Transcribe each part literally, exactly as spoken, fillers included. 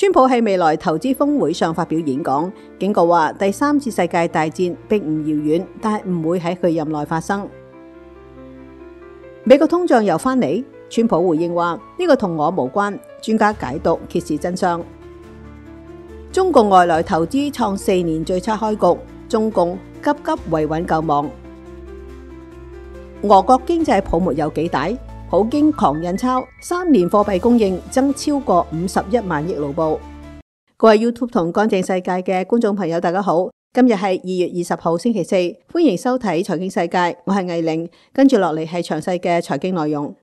川普喺未來投資峰會上發表演講，警告話第三次世界大戰並唔遙遠，但係唔會喺佢任內發生。美國通脹又翻嚟，川普回應話呢個同我無關，專家解讀揭示真相。中共外來投資創四年最差開局，中共急急維穩救亡。俄國經濟泡沫有幾大？普京狂印鈔，三年貨幣供應增超過五十一萬億盧布。各位 YouTube 同乾淨世界嘅觀眾朋友，大家好，今日係二月二十號星期四，歡迎收睇財經世界，我係藝玲，跟住落嚟係詳細嘅財經內容。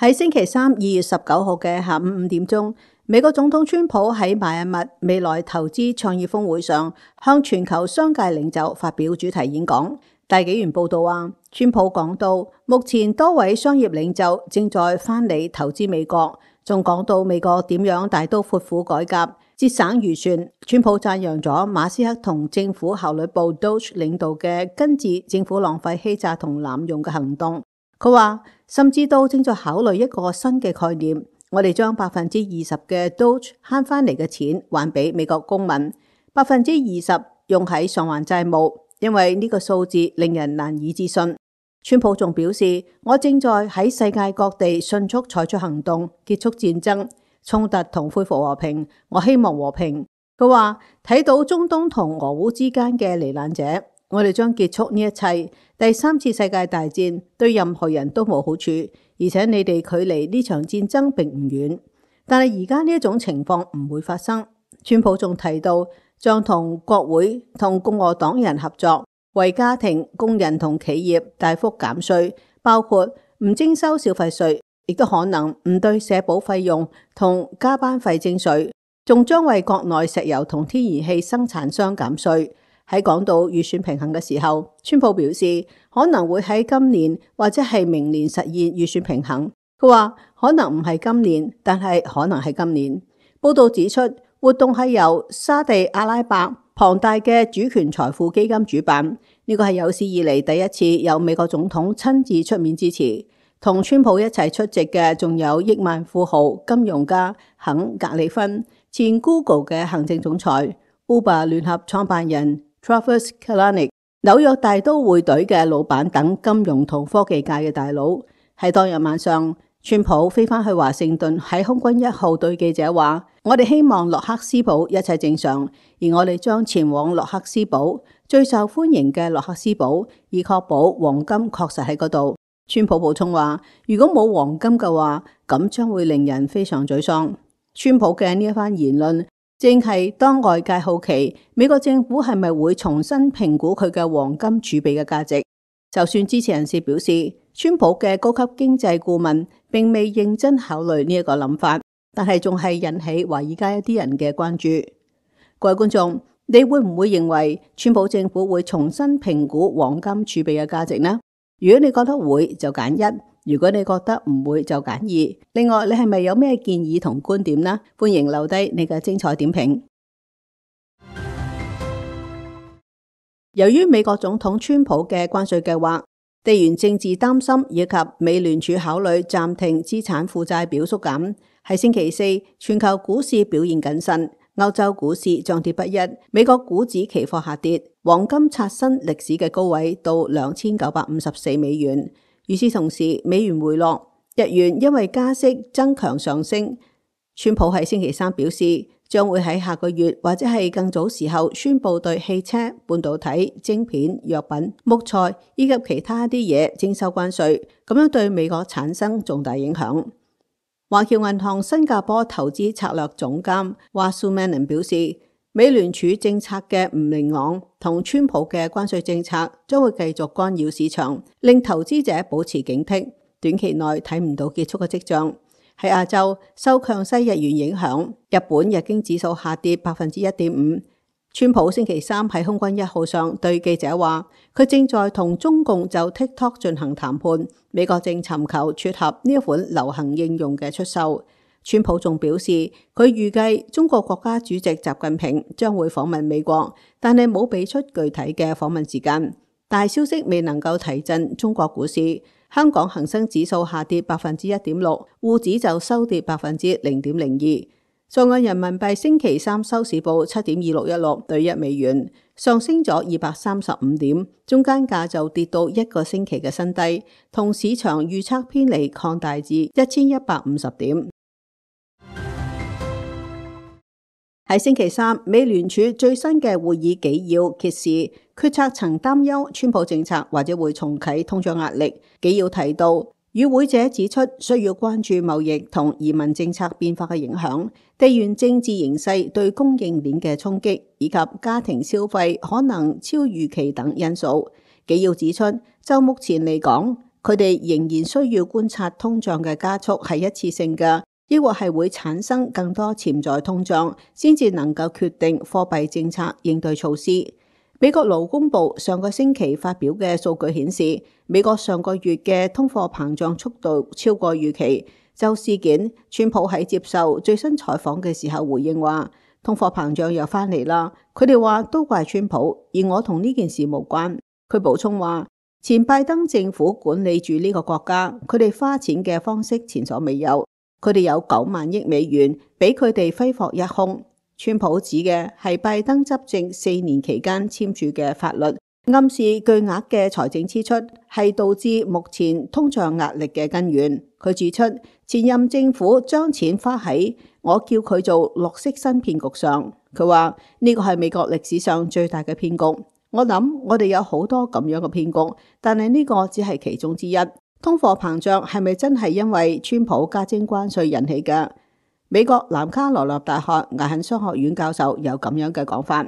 喺星期三二月十九號嘅下午五點鐘，美國總統川普喺邁阿密未來投資創業峰會上，向全球商界領袖發表主題演講。大紀元報道話，川普講到目前多位商業領袖正在翻嚟投資美國，仲講到美國點樣大刀闊斧改革、節省預算。川普讚揚咗馬斯克同政府效率部 Doge 領導嘅根治政府浪費欺詐同濫用嘅行動。佢話甚至都正在考慮一個新嘅概念，我哋將百分之二十嘅 Doge 慳翻嚟嘅錢還俾美國公民，百分之二十用喺償還債務。因為呢個數字令人難以置信。川普仲表示，我正在喺世界各地迅速採取行動，結束戰爭、衝突同恢復和平。我希望和平。佢話睇到中東同俄烏之間嘅罹難者，我哋將結束呢一切。第三次世界大戰對任何人都冇好處，而且你哋距離呢場戰爭並唔遠。但係而家呢一種情況唔會發生。川普仲提到，將同國會同共和黨人合作，為家庭、工人同企業大幅減稅，包括唔徵收消費稅，亦都可能唔對社保費用同加班費徵稅，仲將為國內石油同天然氣生產商減稅。喺講到預算平衡嘅時候，川普表示可能會喺今年或者係明年實現預算平衡。佢話可能唔係今年，但係可能係今年。報道指出，活動係由沙地阿拉伯龐大嘅主權財富基金主辦，呢個係有史以嚟第一次有美國總統親自出面支持。同川普一齊出席嘅仲有億萬富豪、金融家肯格里芬、前 Google 嘅行政總裁、Uber 聯合創辦人 Travis Kalanick、紐約大都會隊嘅老闆等金融同科技界嘅大佬。喺當日晚上，川普飛返去華盛頓，喺空軍一號對記者話：我哋希望洛克斯堡一切正常，而我哋將前往洛克斯堡，最受歡迎嘅洛克斯堡，以確保黃金確實喺嗰度。川普補充話：如果冇黃金嘅話，咁將會令人非常沮喪。川普嘅呢一番言論，正係當外界好奇美國政府係咪會重新評估佢嘅黃金儲備嘅價值。就算支持人士表示，川普嘅高級經濟顧問並未認真考慮呢一個諗法，但係仲係引起華爾街一啲人嘅關注。各位觀眾，你會唔會認為川普政府會重新評估黃金儲備嘅價值呢？如果你覺得會，就揀一；如果你覺得唔會，就揀二。另外，你係咪有咩建議同觀點呢？歡迎留低你嘅精彩點評。由於美國總統川普嘅關稅計劃、地緣政治擔心以及美聯儲考慮暫停資產負債表縮減，喺星期四全球股市表現謹慎，歐洲股市漲跌不一，美國股指期貨下跌，黃金刷新歷史嘅高位到兩千九百五十四美元。與此同時，美元回落，日元因為加息增強上升。川普喺星期三表示，將會喺下個月或者係更早時候宣布對汽車、半導體、晶片、藥品、木材以及其他啲嘢徵收關稅，咁樣對美國產生重大影響。華僑銀行新加坡投資策略總監華蘇曼能表示，美聯儲政策嘅唔明朗同川普嘅關稅政策將會繼續干擾市場，令投資者保持警惕，短期內睇唔到結束嘅跡象。喺亞洲，受強勢日元影響，日本日經指數下跌百分之一點五。川普星期三喺空軍一號上對記者話，佢正在同中共就 TikTok 進行談判，美國正尋求撮合呢一款流行應用嘅出售。川普仲表示，佢預計中國國家主席習近平將會訪問美國，但係冇俾出具體嘅訪問時間。大消息未能夠提振中國股市。香港恒生指數下跌百分之一點六，滬指就收跌百分之零點零二。在岸人民幣星期三收市報七點二六一六對一美元，上升咗二百三十五點，中間價就跌到一個星期嘅新低，同市場預測偏離擴大至一千一百五十點。喺星期三，美聯儲最新嘅會議紀要揭示，決策層擔憂川普政策或者會重啟通脹壓力。紀要提到，與會者指出需要關注貿易同移民政策變化嘅影響、地緣政治形勢對供應鏈嘅衝擊，以及家庭消費可能超預期等因素。紀要指出，就目前嚟講，佢哋仍然需要觀察通脹嘅加速係一次性嘅，抑或係會產生更多潛在通脹，先至能夠決定貨幣政策應對措施。美國勞工部上個星期發表嘅數據顯示，美國上個月嘅通貨膨脹速度超過預期。就事件，川普喺接受最新採訪嘅時候回應話，通貨膨脹又翻嚟啦。佢哋話都怪川普，而我同呢件事無關。佢補充話，前拜登政府管理住呢個國家，佢哋花錢嘅方式前所未有。佢哋有九萬億美元俾佢哋揮霍一空。川普指嘅係拜登執政四年期間簽署嘅法律，暗示巨額嘅財政支出係導致目前通脹壓力嘅根源。佢指出，前任政府將錢花喺我叫佢做綠色新騙局上。佢話呢個係美國歷史上最大嘅騙局。我諗我哋有好多咁樣嘅騙局，但係呢個只係其中之一。通貨膨脹係咪真係因為川普加徵關稅引起嘅？美國南卡羅來納大學艾肯商學院教授有咁樣嘅講法。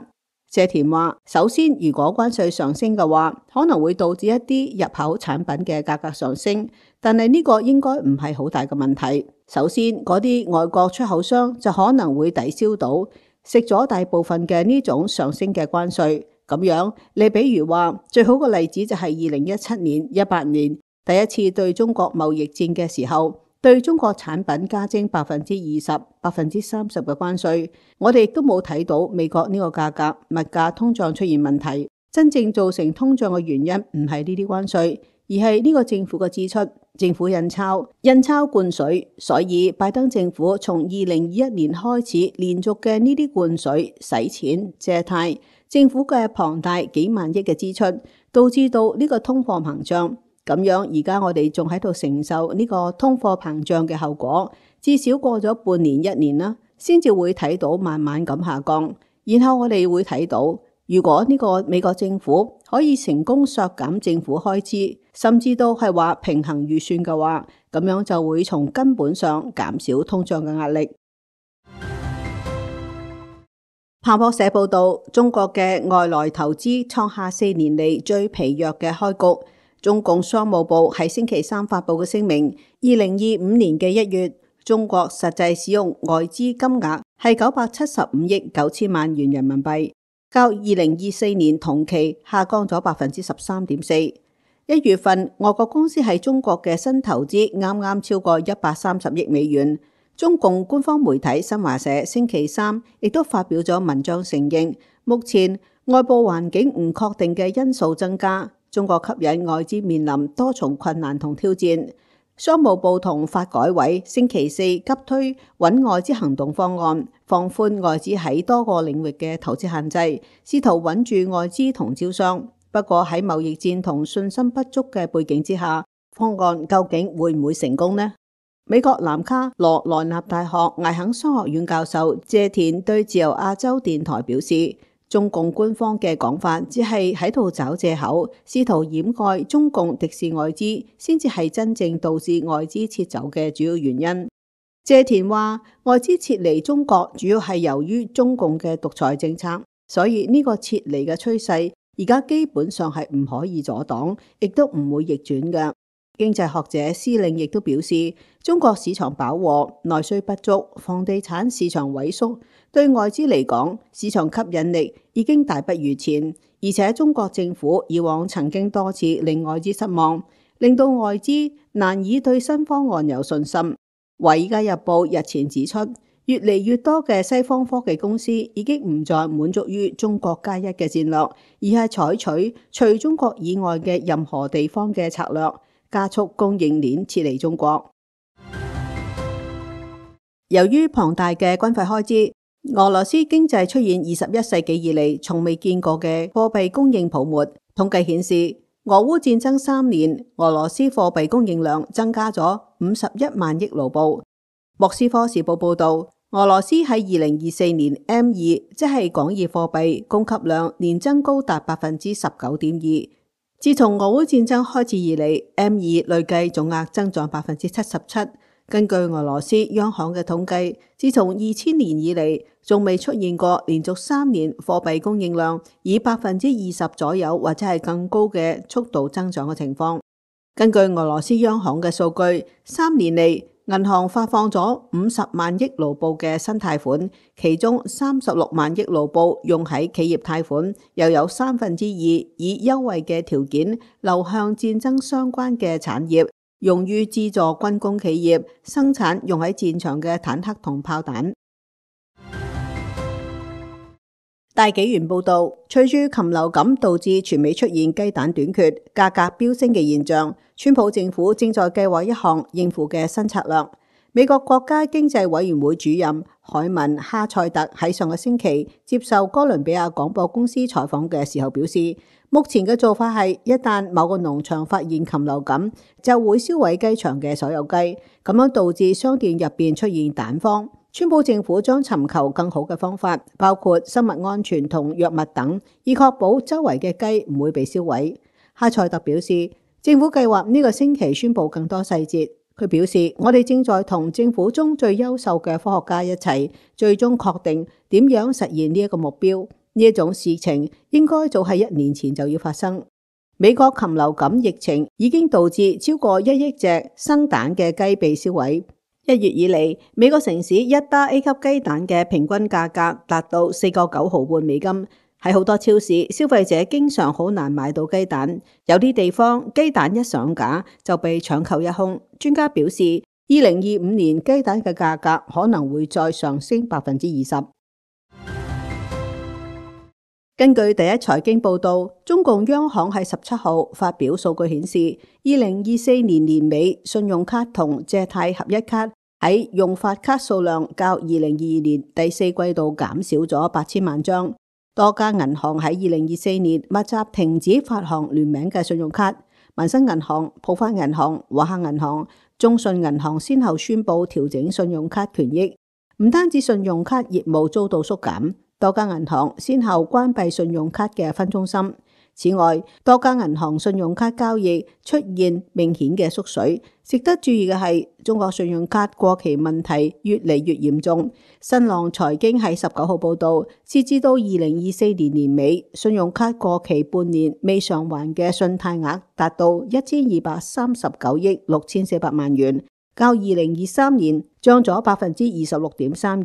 謝田話，首先如果關稅上升嘅話，可能會導致一啲入口產品嘅價格上升，但係呢個應該唔係好大嘅問題。首先，嗰啲外國出口商就可能會抵消到食咗大部分嘅呢種上升嘅關稅。咁樣，你比如話，最好嘅例子就係二零一七年、一八年第一次對中國貿易戰嘅時候，對中國產品加徵百分之二十、百分之三十嘅關稅，我哋亦都冇睇到美國呢個價格物價通脹出現問題。真正造成通脹嘅原因唔係呢啲關稅，而係呢個政府嘅支出，政府印鈔、印鈔灌水。所以拜登政府從二零二一年開始連續嘅呢啲灌水、洗錢、借貸，政府嘅龐大幾萬億嘅支出，導致到呢個通貨膨脹。咁樣而家我哋仲喺度承受呢個通貨膨脹嘅後果，至少過咗半年一年啦，先至會睇到慢慢咁下降。然後我哋會睇到，如果呢個美國政府可以成功削減政府開支，甚至都係話平衡預算嘅話，咁樣就會從根本上減少通脹嘅壓力。彭博社報道，中國嘅外來投資創下四年嚟最疲弱嘅開局。中共商務部喺星期三發布嘅聲明，二零二五年嘅一月，中國實際使用外資金額係九百七十五億九千萬元人民幣，較二零二四年同期下降咗百分之十三點四。一月份，外國公司喺中國嘅新投資啱啱超過一百三十億美元。中共官方媒體新華社星期三亦都發表咗文章承認，目前外部環境唔確定嘅因素增加，中國吸引外資面臨多重困難同挑戰。商務部同發改委星期四急推穩外資行動方案，放寬外資喺多個領域嘅投資限制，試圖穩住外資同招商。不過喺貿易戰同信心不足嘅背景之下，方案究竟會唔會成功呢？美國南卡羅來納大學艾肯商學院教授謝田對自由亞洲電台表示，中共官方嘅講法只係喺度找借口，試圖掩蓋中共敵視外資，先至係真正導致外資撤走嘅主要原因。謝田話，外資撤離中國主要係由於中共嘅獨裁政策，所以呢個撤離嘅趨勢而家基本上係唔可以阻擋，亦都唔會逆轉嘅。經濟學者施令亦都表示，中國市場飽和、內需不足、房地產市場萎縮，對外資嚟講，市場吸引力已經大不如前。而且中國政府以往曾經多次令外資失望，令到外資難以對新方案有信心。《華爾街日報》日前指出，越嚟越多嘅西方科技公司已經唔再滿足於中國加一嘅戰略，而係採取除中國以外嘅任何地方嘅策略。加速供應鏈撤離中國。由於龐大嘅軍費開支，俄羅斯經濟出現二十一世紀以嚟從未見過嘅貨幣供應泡沫。統計顯示，俄烏戰爭三年，俄羅斯貨幣供應量增加咗五十一萬億盧布。莫斯科時報報道，俄羅斯喺二零二四年 M 二，即係廣義貨幣供給量年增高達百分之十九點二。自從俄烏戰爭開始以嚟 ，M 二累計總額增長百分之七十七。根據俄羅斯央行嘅統計，自從二千年以嚟，仲未出現過連續三年貨幣供應量以百分之二十左右或者係更高嘅速度增長嘅情況。根據俄羅斯央行嘅數據，三年嚟銀行發放咗五十萬億盧布嘅新貸款，其中三十六萬億盧布用喺企業貸款，又有三分之二以優惠嘅條件流向戰爭相關嘅產業，用於資助軍工企業生產用喺戰場嘅坦克同炮彈。大紀元報道，隨住禽流感導致全美出現雞蛋短缺、價格飆升嘅現象，川普政府正在計劃一項應付嘅新策略。美國國家經濟委員會主任海文哈塞特喺上個星期接受哥倫比亞廣播公司採訪嘅時候表示，目前嘅做法係一旦某個農場發現禽流感，就會銷毀雞場嘅所有雞，咁樣導致商店入邊出現蛋荒。川普政府將尋求更好嘅方法，包括生物安全同藥物等，以確保周圍嘅雞唔會被燒毀。哈塞特表示，政府計劃呢個星期宣布更多細節。佢表示，我哋正在同政府中最優秀嘅科學家一齊，最終確定點樣實現呢一個目標。呢一種事情應該早喺一年前就要發生。美國禽流感疫情已經導致超過一億隻生蛋嘅雞被燒毀。一月以嚟，美國城市一打 A 級雞蛋嘅平均價格達到四個九毫半美金。喺好多超市，消費者經常好難買到雞蛋，有啲地方雞蛋一上架就被搶購一空。專家表示，二零二五年雞蛋嘅價格可能會再上升百分之二十。根據第一財經報道，中共央行喺十七號發表數據顯示，二零二四年年尾信用卡同借貸合一卡喺用發卡數量較二零二二年第四季度減少咗八千萬張。多家銀行喺二零二四年密集停止發行聯名嘅信用卡，民生銀行、浦發銀行、華夏銀行、中信銀行先後宣布調整信用卡權益。唔單止信用卡業務遭到縮減，多家銀行先後關閉信用卡嘅分中心。此外，多家銀行信用卡交易出現明顯嘅縮水。值得注意嘅係，中國信用卡過期問題越嚟越嚴重。新浪財經喺十九號報道，截至到二零二四年年尾，信用卡過期半年未償還嘅信貸額達到一千二百三十九億六千四百萬元，較二零二三年漲咗百分之二十六點三二。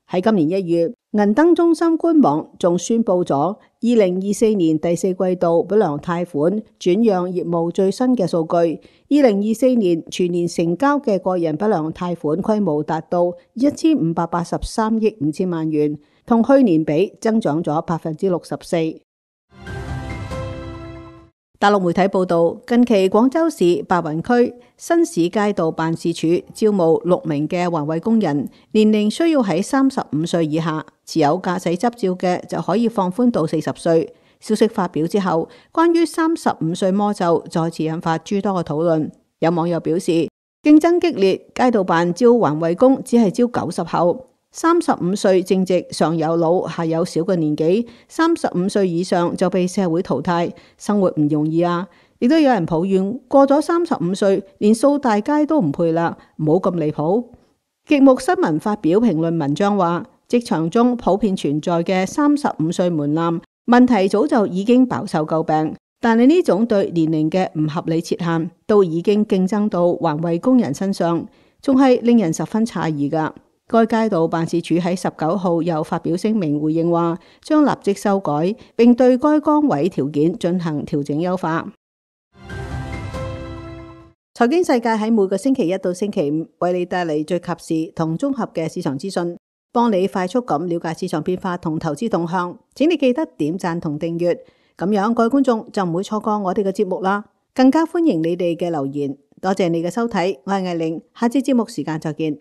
喺今年一月，銀燈中心官網仲宣布咗二零二四年第四季度不良貸款轉讓業務最新嘅數據。二零二四年全年成交嘅個人不良貸款規模達到一千五百八十三億五千萬元，同去年比增長咗百分之六十四。大陸媒體報道，近期廣州市白雲區新市街道辦事處招募六名嘅環衛工人，年齡需要喺三十五歲以下，持有駕駛執照嘅就可以放寬到四十歲。消息發表之後，關於三十五歲魔咒再次引發諸多嘅討論。有網友表示，競爭激烈，街道辦招環衛工只係招九十後。三十五歲正值上有老下有小嘅年紀，三十五歲以上就被社會淘汰，生活唔容易啊！亦都有人抱怨過咗三十五歲，連掃大街都唔配啦，唔好咁離譜。極目新聞發表評論文章話，職場中普遍存在嘅三十五歲門檻問題早就已經飽受詬病，但係呢種對年齡嘅唔合理設限，都已經競爭到環衛工人身上，仲係令人十分詫異噶。該街道辦事處喺十九號又發表聲明回應話，將立即修改，並對該崗位條件進行調整優化。財經世界喺每個星期一到星期五為你帶嚟最及時同綜合嘅市場資訊，幫你快速咁了解市場變化同投資動向。請你記得點讚同訂閱，咁樣各位觀眾就唔會錯過我哋嘅節目啦。更加歡迎你哋嘅留言。多謝你嘅收睇，我係艾玲，下次節目時間再見。